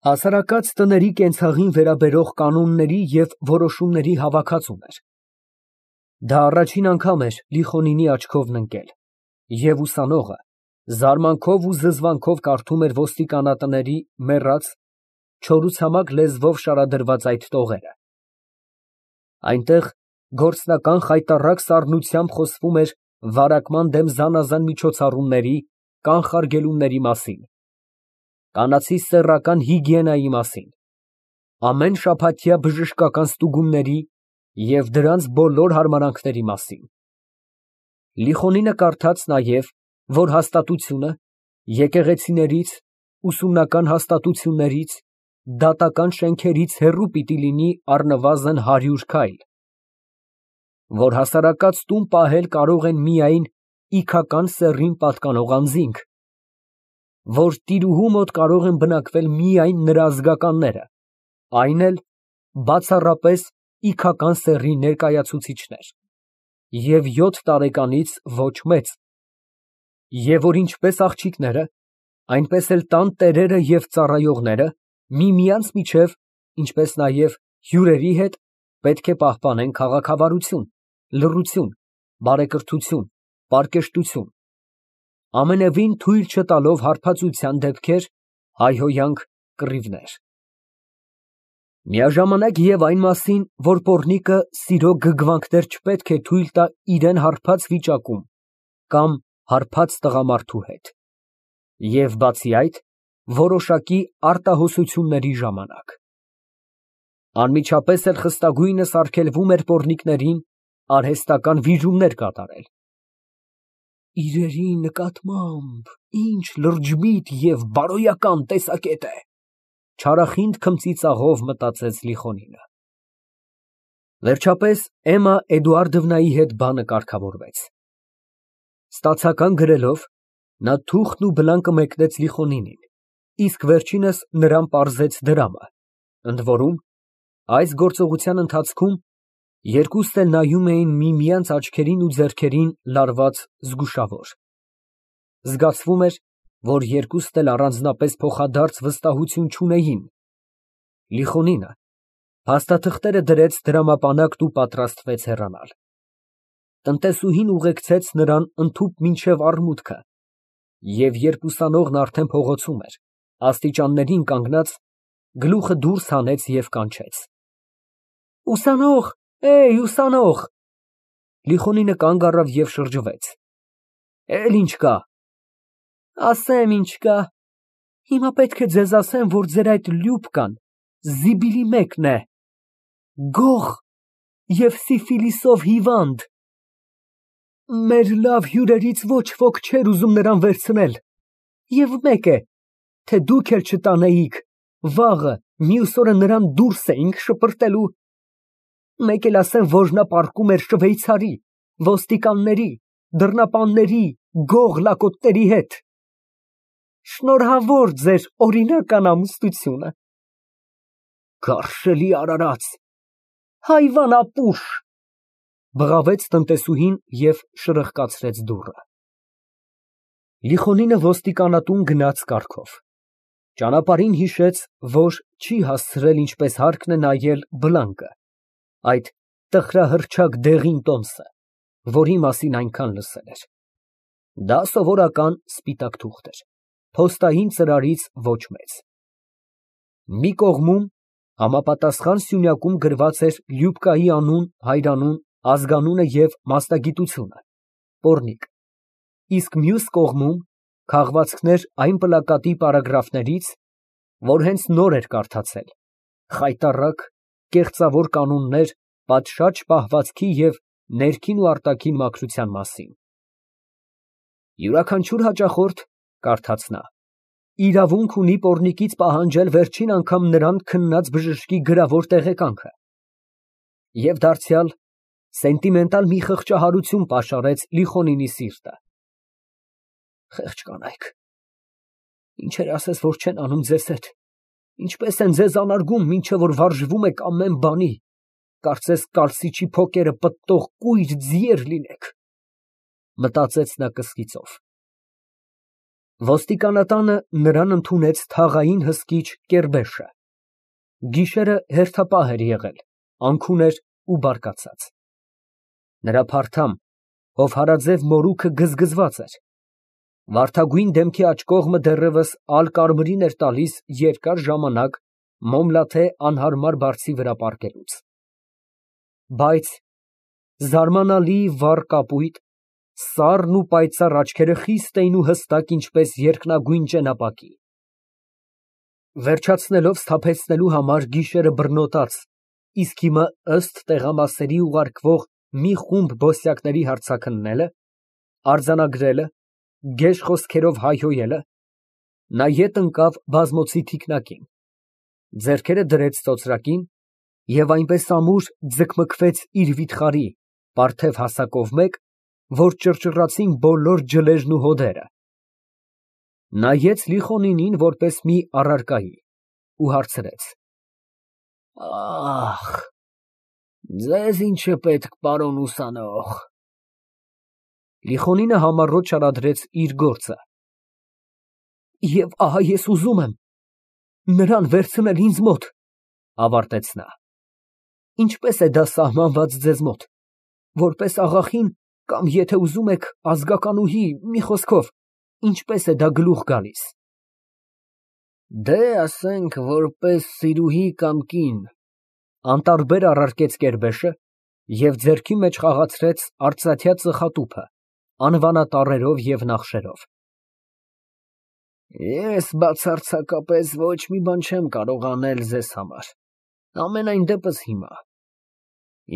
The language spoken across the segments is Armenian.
Հասարակած տների կենցաղին վերաբերող կանոնների և որոշումների հավաքածուն էր։ Դա առաջին անգամ էր Լիխոնինի աչքովն ընկել, և ուսանողը զարմանքով ու զզվանքով կարդում էր ոստիկանատների մեռած, չորուցամակ լեզվով շարադրված այդ տողերը։ Այնտեղ գործնական խայտառակ սառնությամբ խոսվում էր վարակման դեմ զանազան միջոցառումների, կանխարգելումների մասին, կանացի սեռական հիգիենայի մասին, ամեն շաբաթյա բժշկական ստուգումների և դրանց բոլոր հարմարանքների մասին։ Լիխոնինը կարդաց նաև, որ հաստատությունը եկեղեցիներից, ուսումնական հաստատություններից, դատական շենքերից հեռու պիտի լինի առնվազն 100 քայլ, որ հասարակած տուն պահել կարող են միայն իգական սեռին պատկանող անձինք, որ տիրուհու մոտ կարող են բնակվել միայն նրա ազգականները, այն էլ բացառապես իգական սեռի ներկայացուցիչներ, և 7 տարեկանից ոչ մեծ, և որ ինչպես աղջիկները, այնպես էլ տան տերերը և ծառայողները միմյանց միջև, ինչպես նաև հյուրերի հետ պետք է պահպանեն քաղաքավարություն, լռություն, բարեկրթություն, պարկեշտություն, ամենևին թույլ չտալով հարբածության դեպքեր, հայհոյանք, կռիվներ։ Միաժամանակ և այն մասին, որ պոռնիկը սիրո գրգռումներ չպետք է թույլ տա իրան հարբած վիճակում կամ հարբած տղամարդու հետ, և բացի այդ, որոշակի արտահոսությունների ժամանակ։ Անմիջապես էլ խստագույնս արգելվում էր պոռնիկներին արհեստական վիժումներ կատարել։ «Իրերի նկատմամբ ինչ լրջմիտ և բարոյական տեսակետ է», չարախինդ քմծիծաղով մտածեց Լիխոնինը։ Վերջապես Էմմա Էդուարդովնայի հետ բանը կարգավորվեց։ Ստացական գրելով, նա թուղթն ու բլանկը մեկնեց Լիխոնինին, իսկ վերջինս նրան պարզեց դրամը, ընդ որում, այս գործողության ընթացքում երկուսն էլ նայում էին միմյանց աչքերին ու ձեռքերին լարված զգուշավոր։ Զգացվում էր, որ երկուսն էլ առանձնապես փոխադարձ վստահություն չունեին։ Լիխոնինը փաստաթղթերը դրեց դրամապանակտ ու պատրաստվեց հեռանալ։ Տնտեսուհին ուղեկցեց նրան ընդհուպ մինչև առմուտքը, և երբ ուսանողն արդեն փողոցում էր, աստիճաններին կանգնած, գլուխը դուրս հանեց և կանչեց. «Ուսանող, ուսանող»։ Լիխոնինը կանգ առավ և շրջվեց։ «Էլ ինչ կա»։ «Ասեմ ինչ կա։ Հիմա պետք է ձեզ ասեմ, որ ձեր այդ Լյուբկան զիբիլի մեկն է, գող և սիֆիլիսով հիվանդ։ Մեր լավ հյուրերից ոչ ոք չէր ուզում նրան վերցնել, և մեկ է, թե դուք էլ չտանեիք, վաղը, մյուս օրը նրան դուրս էինք շպրտելու։ Մեկ էլ ասեմ, որ նա պառկում էր շվեյցարի, ոստիկանների, դռնապանների, գող լակոտների հետ։ Շնորհավոր ձեր օրինական ամուսնությունը։ Գարշելի արարած, հայվան ապուշ, բղավեց տնտեսուհին և շրխկացրեց դուռը։ Լիխոնինը ոստիկանատուն գնաց կառքով։ Ճանապարհին հիշեց, որ չի հասցրել ինչպես հարկն է նայել բլանկը, այդ տխրահռչակ դեղին տոմսը, որի մասին այնքան լսել էր։ Դա սովորական սպիտակ թուղթ էր, փոստային ծրարից ոչ մեծ։ Մի կողմում համապատասխան սյունյակում գրված էր Լյուբկայի անուն, հայրանուն, ազգանունը և մասնագիտությունը՝ պոռնիկ, իսկ մյուս կողմում քաղվածքներ այն պլակատի պարագրաֆներից, որ հենց նոր էր կարդացել, խայտառակ, կեղծավոր կանոններ պատշաճ պահվածքի և ներքին ու արտաքին մաքրության մասին։ Յուրաքանչյուր հաճախորդ, կարդաց նա, իրավունք ունի պոռնիկից պահանջել վերջին անգամ նրան քննած բժշկի գրավոր տեղեկանքը։ Եվ դարձյալ սենտիմենտալ մի խղճահարություն պաշարեց Լիխոնինի սիրտը։ Խեղճ կանայք, ինչեր ասես, որ չեն անում ձեզ հետ, ինչպես են ձեզ անարգում, մինչև որ վարժվում եք ամեն բանի, կարծես կալսիչի փոկերը պտտող կույր ձիեր լինեք, մտածեց նա կսկիծով։ Ոստիկանատանը նրան ընդունեց թաղային հսկիչ կերբեշը։ Գիշերը հերթապահ էր եղել, անքուն էր ու բարկացած։ Նրա փարթամ, հովհարաձև մորուքը գզգզված էր։ Վարդագույն դեմքի աջ կողմը դեռևս ալկարմիրին էր տալիս երկար ժամանակ մոմլաթե անհարմար բարձի վրա պառկելուց։ Բայց զարմանալի վառ կապույտ, սառն ու պայծառ աչքերը խիստ էին ու հստակ, ինչպես երկնագույն ճենապակի։ Վերջացնելով սթափեցնելու համար գիշերը բռնոտած, իսկ հիմա ըստ տեղամասերի ուղարկվող մի խումբ բոսյակների հարցաքննելը, արձանագրելը, գեշ խոսքերով հայհոյելը, նա ետ ընկավ բազմոցի թիկնակին, ձեռքերը դրեց ծոծրակին և այնպես ամուր ձգմքվեց իր վիթխարի, պարթև հասակով մեկ, որ ճռճռացին բոլոր ջլերն ու հոդերը, նայեց Լիխոնինին որպես մի առարկայի ու հարցրեց. Ախ, ձեզ ինչ է պետք, պարոն ուսանող։ Լիխոնինը համառոտ չարադրեց իր գործը։ Եվ ահա ես ուզում եմ նրան վերցնել ինձ մոտ, ավարտեց նա։ Ինչպես է դա սահմանված ձեզ մոտ, որպես աղախին կամ եթե ուզում եք ազգականուհի, մի խոսքով, ինչպես է դա գլուխ գալիս։ Դե, ասենք, որպես սիրուհի կամ կին, անտարբեր առարկեց կերբեշը և ձեռքի մեջ խաղացրեց արծաթյա ծխատուփը, անվանատառերով և նախշերով։ Ես բացարձակապես ոչ մի բան չեմ կարող անել ձեզ համար, ամենայն դեպս հիմա։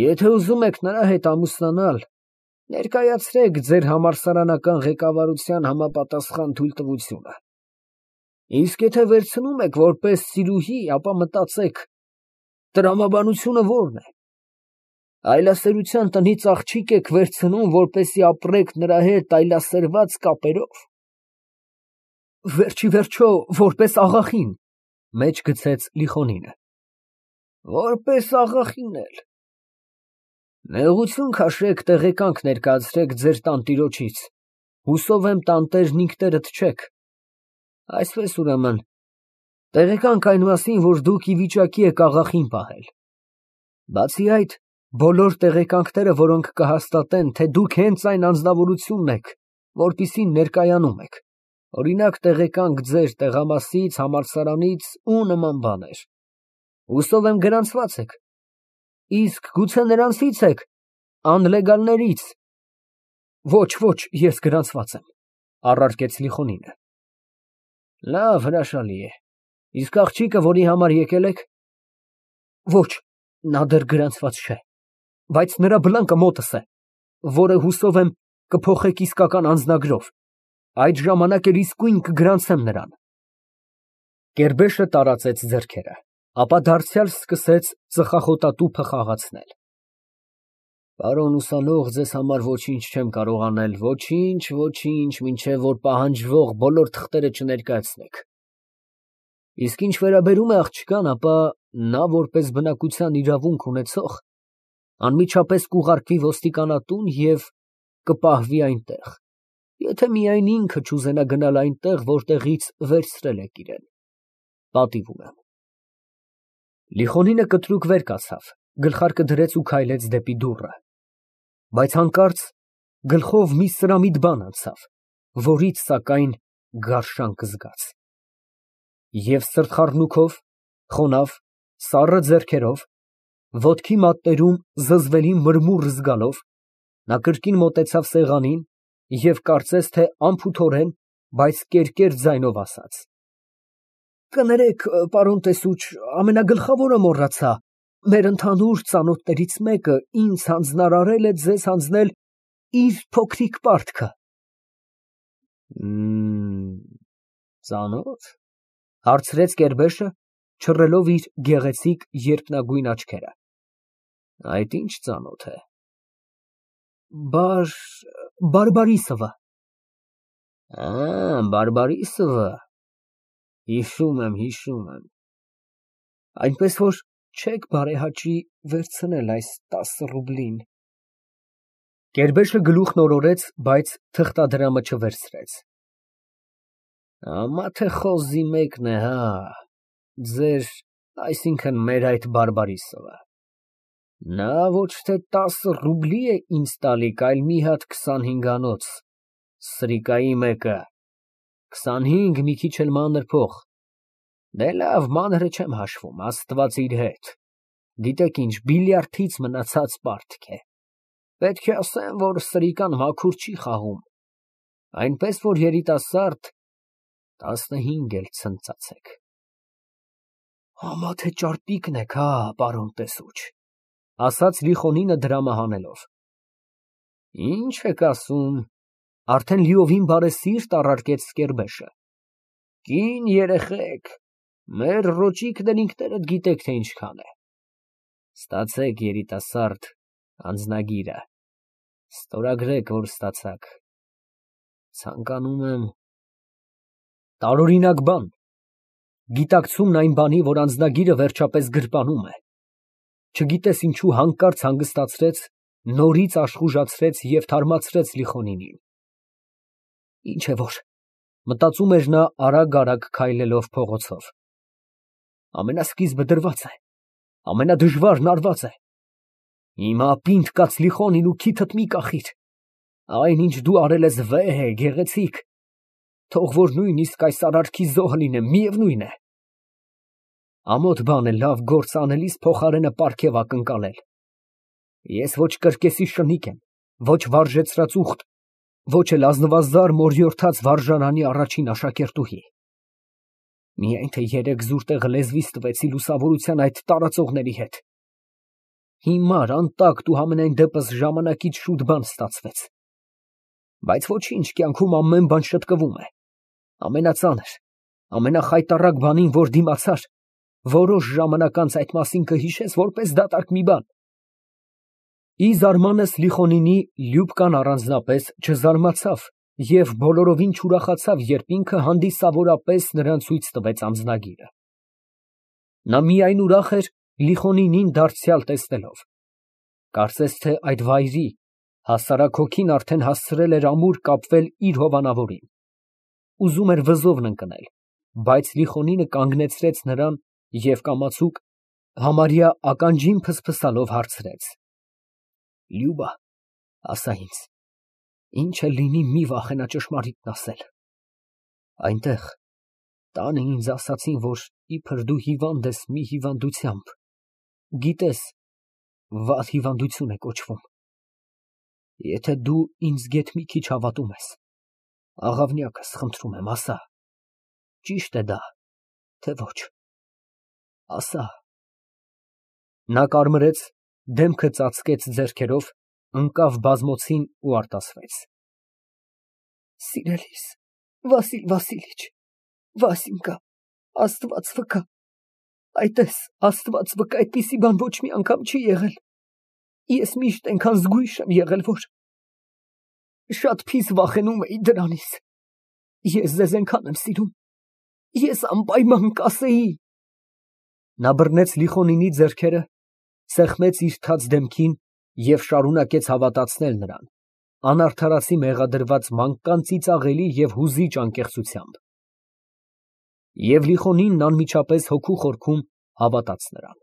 Եթե ուզում եք նրա հետ ամուսնանալ, ներկայացրեք ձեր համալսարանական ղեկավարության համապատասխան թույլտվությունը։ Իսկ եթե վերցնում եք որպես սիրուհի, ապա մտածեք, տրամաբանությունը որն է։ Այլասերության տնից աղջիկ եք վերցնում, որպեսզի ապրեք նրա հետ այլասերված կապերով։ Վերջ ի վերջո, որպես աղախին, մեջ գցեց Լիխոնինը։ Որպես աղախին էլ։ Նեղություն քաշեք, տեղեկանք ներկայացրեք ձեր տանտիրոջից, հուսով եմ տանտերն ինքներդ չեք։ Այսպես ուրեմն, տեղեկանք այն մասին, որ դուք ի վիճակի եք աղախին պահել։ Բացի այդ, բոլոր տեղեկանքները, որոնք կհաստատեն, թե դուք հենց այն անձնավորությունն եք, որպիսին ներկայանում եք, օրինակ տեղեկանք ձեր տեղամասից, համալսարանից ու նման բաներ, հուսով եմ գրանցված եք, իսկ գուցե նրանցից եք, անլեգալներից։ Ոչ, ես գրանցված եմ, առարկեց Լիխոնինը։ Լավ, հրաշալի է, իսկ աղջիկը, որի համար եկել եք։ Ոչ, նա դեռ գրանցված չէ, բայց նրա բլանկը մոտս է, որը հուսով եմ կփոխեք իսկական անձնագրով, այդ ժամանակ էլ իսկույն կգրանցեմ նրան։ Կերբեշը տարածեց ձեռքերը, ապա դարձյալ սկսեց ծխախոտատուփը խաղացնել։ Պարոն ուսանող, ձեզ համար ոչինչ չեմ կարող անել, ոչինչ, մինչև որ պահանջվող բոլոր թղթերը չներկայացնեք։ Իսկ ինչ վերաբերում է աղջկան, ապա նա որպես բնակության իրավունք ունեցող, անմիջապես կուղարկվի ոստիկանատուն և կպահվի այնտեղ, եթե միայն ինքը չուզենա գնալ այնտեղ, որտեղից վերցրել եք իրան։ Պատիվ ունեմ։ Լիխոնինը կտրուկ վեր կացավ, գլխարկը դրեց ու քայլեց դեպի դուռը, բայց հանկարծ գլխով մի սրամիտ բան անցավ, որից, սակայն, գարշանք զգաց։ Եվ սրտխառնուքով, խոնավ, սառը ձեռքերով, ոտքի մատներում զզվելի մրմուռ զգալով, նա կրկին մոտեցավ սեղանին և կարծես թե անփութորեն, բայց կերկեր ձայնով ասաց. Կներեք, պարոն տեսուչ, ամենագլխավորը մոռացա, մեր ընդհանուր ծանոթներից մեկը ինձ հանձնարարել է ձեզ հանձնել իր փոքրիկ պարտքը։ Ծանո՞թ, հարցրեց կերբեշը, չռելով իր գեղեցիկ երկնագույն աչքերը։ Այդ ինչ ծանոթ է։ Բարբարիսովը։ Բարբարիսովը։ Հիշում եմ։ Այնպես որ չեք բարեհաճի վերցնել այս 10 ռուբլին։ Կերբեշը գլուխն օրորեց, բայց թղթադրամը չվերցրեց։ Ամա թե խոզի մեկն է, հա, ձեր, այսինքն մեր այդ բարբարիսովը։ Նա ոչ թե 10 ռուբլի է ինձ տալիք, այլ մի հատ 25-անոց, սրիկայի մեկը, 25 մի քիչ էլ մանր փող։ Դե լավ, մանրը չեմ հաշվում, Աստված իր հետ։ Գիտեք ինչ, բիլիարդից մնացած պարտք է։ Պետք է ասեմ, որ սրիկան մաքուր չի խաղում, այնպես որ երիտասարդ 15 էլ ցնծացեք։ Համա թե ճարպիկն եք, հա, պարոն տեսուչ, ասաց Լիխոնինը դրամը հանելով։ Ինչ եք ասում, արդեն լիովին բարեսիրտ առարկեց Սկերբեշը։ Կին երեխեք, մեր ռոճիկ դնինքներդ գիտեք, թե ինչքան է։ Ստացեք երիտասարդ անձնագիրը, ստորագրեք, որ ստացաք։ Ցանկանում եմ տարօրինակ բան, գիտակցումն այն բանի, որ անձնագիրը վերջապես գրպանում է։ Չգիտես ինչու հանկարծ հանգստացրեց, նորից աշխուժացրեց և թարմացրեց Լիխոնինին։ Ինչ է որ, մտածում էր նա արագ քայլելով փողոցով։ Ամենասկիզբը դրված է, ամենադժվարն արված է։ Հիմա պինդ կաց Լիխոնին ու քիթդ մի կախիր։ Այն ինչ դու արել ես վեհ է, գեղեցիկ, թող որ նույնիսկ այս արարքի զոհը լինեմ, միևնույն է։ Ամոթ բան է լավ գործ անելիս փոխարենը պարգև ակնկալել։ Ես ոչ կրկեսի շնիկ եմ, ոչ վարժեցրած ուղտ, ոչ էլ ազնվազար մորյորթած վարժարանի առաջին աշակերտուհի։ Միայն թե երեք զուր տեղը լեզվիս տվեցի լուսավորության այդ տարածողների հետ։ Հիմար, անտակտ ու համենայն դեպս ժամանակից շուտ բան ստացվեց։ Բայց ոչինչ, կյանքում ամեն բան շտկվում է։ Ամենածանր, ամենախայտառակ բանին, որ դիմացար, որոշ ժամանակ անց այդ մասին կհիշես որպես դատարկ մի բան։ Ի զարմանս Լիխոնինի Լյուբկան առանձնապես չզարմացավ և բոլորովին չուրախացավ, երբ ինքը հանդիսավորապես նրան ցույց տվեց անձնագիրը։ Նա միայն ուրախ էր Լիխոնինին դարձյալ տեսնելով։ Կարծես թե այդ վայրի, հասարակ հոգին արդեն հասցրել էր ամուր կապվել իր հովանավորին։ Ուզում էր վզովն ընկնել, բայց Լիխոնինը կանգնեցրեց նրան և կամացուկ, համարյա ականջին փսփսալով հարցրեց. Լյուբա, ասա ինձ, ինչ էլ լինի մի վախենա ճշմարիտն ասել։ Այնտեղ, տանը ինձ ասացին, որ իբր դու հիվանդ ես մի հիվանդությամբ, գիտես, վատ հիվանդություն է կոչվում։ Եթե դու ինձ գեթ մի քիչ հավատում ես, աղավնյակս, խնդրում եմ, ասա, ճիշտ է դա, թե ոչ, ասա։ Նա կարմրեց, դեմքը ծածկեց ձեռքերով, ընկավ բազմոցին ու արտասվեց։ Սիրելիս, Վասիլ Վասիլիչ, Վասենկա, Աստված վկա, այտես, Աստված վկա, այդպիսի բան ոչ մի անգամ չի եղել։ Ես միշտ այնքան զգույշ եմ եղել, որ շատ փիս վախենում էի դրանից։ Ես ձեզ այնքան եմ սիրում, ես անպայման կասեի։ Նա բռնեց Լիխոնինի ձեռքերը, սեղմեց իր թաց դեմքին և շարունակեց հավատացնել նրան, անարդարացի մեղադրված մանկան ծիծաղելի և հուզիչ անկեղծությամբ։ Եվ Լիխոնինն անմիջապես հոգու խորքում հավատաց նրան։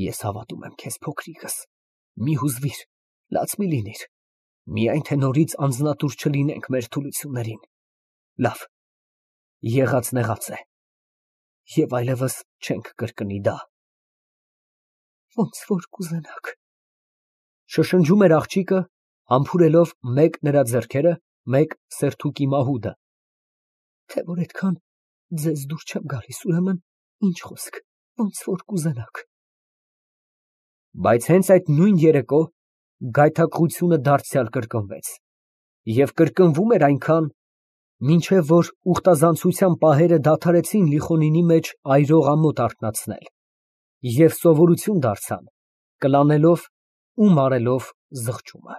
Ես հավատում եմ քեզ, փոքրիկս, մի հուզվիր, լաց մի լինիր, միայն թե նորից անձնատուր չլինենք մեր թուլություններին։ Լավ, եղածն եղած է, և այլևս չենք կրկնի դա։ Ոնց որ կուզենաք, շշնջում էր աղջիկը, համբուրելով մեկ նրա ձեռքերը, մեկ սերթուկի մահուդը։ Թե որ այդքան ձեզ դուր չեմ գալիս, ուրեմն ինչ խոսք, ոնց որ կուզենաք։ Բայց հենց այդ նույն երեկո գայթակղությունը դարձյալ կրկնվեց, և կրկնվում էր այնքան, մինչև որ ուխտազանցության պահերը դադարեցին Լիխոնինի մեջ այրող ամոթ արթնացնել և սովորություն դարձան, կլանելով ու մարելով զղջումը։